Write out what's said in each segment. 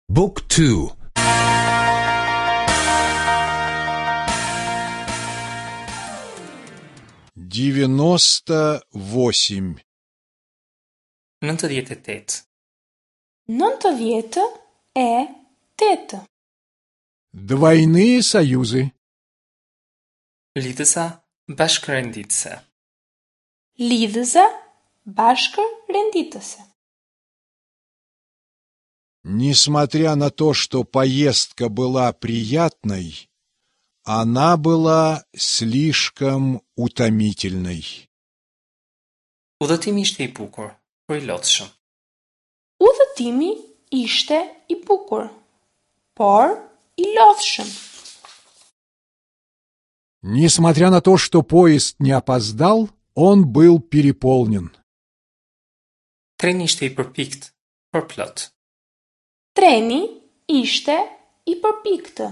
Book 2. 98. 98. 98. Двойные союзы. Lidhësa bashkërenditëse. Lidhëse bashkërenditëse. Несмотря на то, что поездка была приятной, она была слишком утомительной. Udhëtimi ishte i bukur, por i lodhshëm. Udhëtimi ishte i bukur, por i lodhshëm. Несмотря на то, что поезд не опоздал, он был переполнен. Treni ishte i përpikt, por plot. Treni ishte i përpiktë,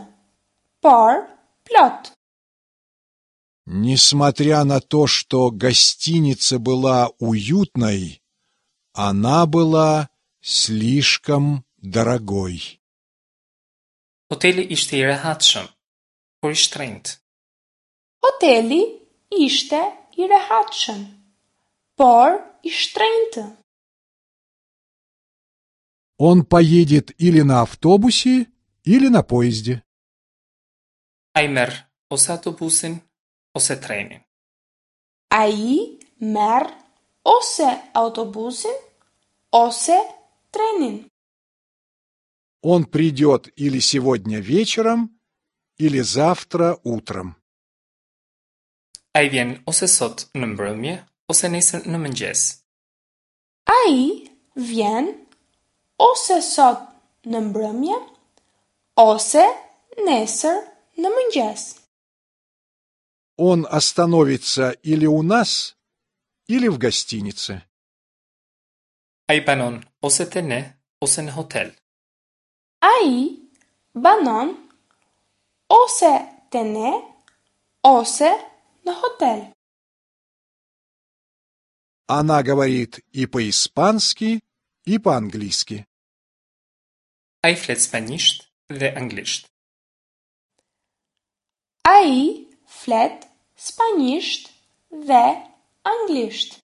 por plot. Несмотря на то, что гостиница была уютной, она была слишком дорогой. Hoteli ishte i rehatshëm, por i shtrenjtë. Hoteli ishte i rehatshëm, por i shtrenjtë. Он поедет или на автобусе, или на поезде. Ai merr ose autobusin, ose trenin. Ai merr ose autobusin, ose trenin. Он придет или сегодня вечером, или завтра утром. Ai vjen ose sot në mbrëmje, ose nesër në mëngjes. Ai vjen ose sot në mbrëmje, ose nesër në mëngjes. Он остановится или у нас, или в гостинице. Ai banon ose te ne, ose në hotel. Ai banon ose te ne, ose në hotel. Она говорит и по-испански, и по-английски. Ai flet spanjisht dhe anglisht. Ai flet spanjisht dhe anglisht.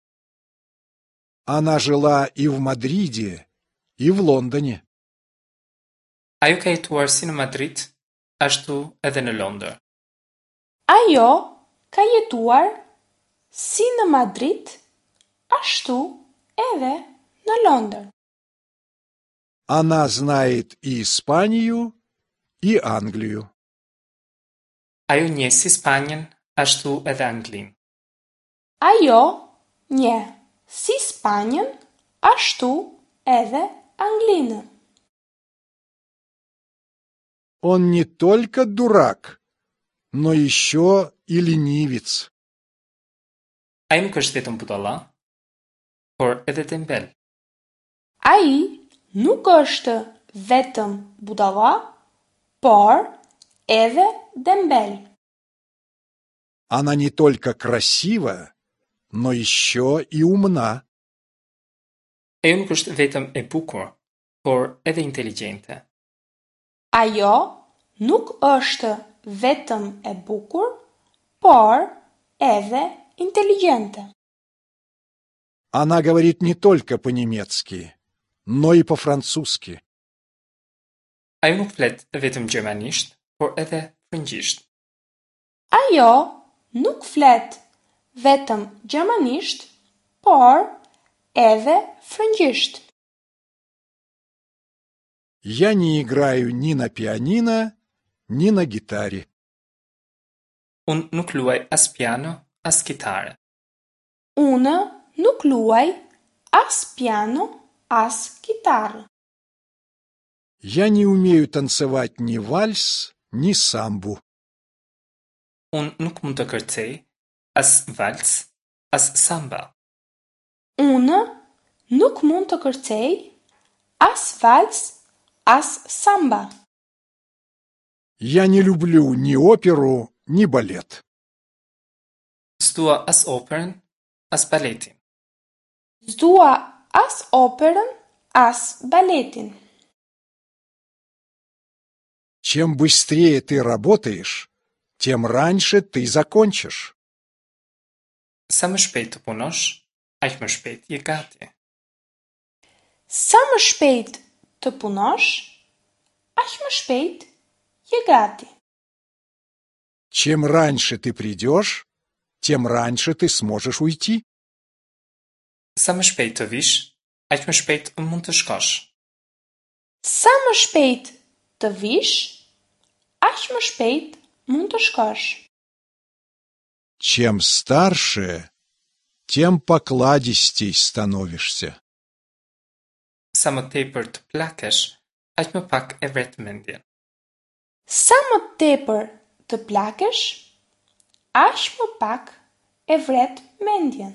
Она жила и в Мадриде, и в Лондоне. Ajo ka jetuar si në Madrid, ashtu edhe në Londër. Ajo ka jetuar si në Madrid, ashtu edhe në Londër. Она знает и Испанию, и Англию. Ajo njeh si Spanjën, ashtu edhe Anglinë. Ajo njeh si Spanjën, ashtu edhe Anglinë. Он не только дурак, но еще и ленивец. Ai nuk është vetëm budalla, por edhe tembel. Ai nuk është vetëm budalla, por edhe dembel. Она не только красива, но еще и умна. Ajo nuk është vetëm e bukur, por edhe inteligjente. Ajo nuk është vetëm e bukur, por edhe inteligjente. Она говорит не только по-немецки, но и по-французски. Ajo nuk flet vetëm gjermanisht, por edhe frëngjisht. Ajo nuk flet vetëm gjermanisht, por edhe frëngjisht. Я не играю ни на пианино, ни на гитаре. Unë nuk luaj as piano, as kitare. Unë nuk luaj as piano, as kitarë. Я не умею танцевать ни вальс, ни самбу. Unë nuk mund të kërcej as vals, as samba. Unë nuk mund të kërcej as vals, as samba. Я не люблю ни оперу, ни балет. S'dua as operën, as baletin. S'dua as operën, as baletin. Чем быстрее ты работаешь, тем раньше ты закончишь. Sa më shpejt të punosh, aq më shpejt je gati. Sa më shpejt të punosh, aq më shpejt je gati. Чем раньше ты придешь, тем раньше ты сможешь уйти. Sa më shpejt të vish, aq më shpejt mund të shkosh. Sa më shpejt të vish, aq më shpejt mund të shkosh. Чем старше, тем покладистей становишься. Sa më tepër të plakesh, aq më pak e vret mendjen. Sa më tepër të plakesh, aq më pak e vret mendjen.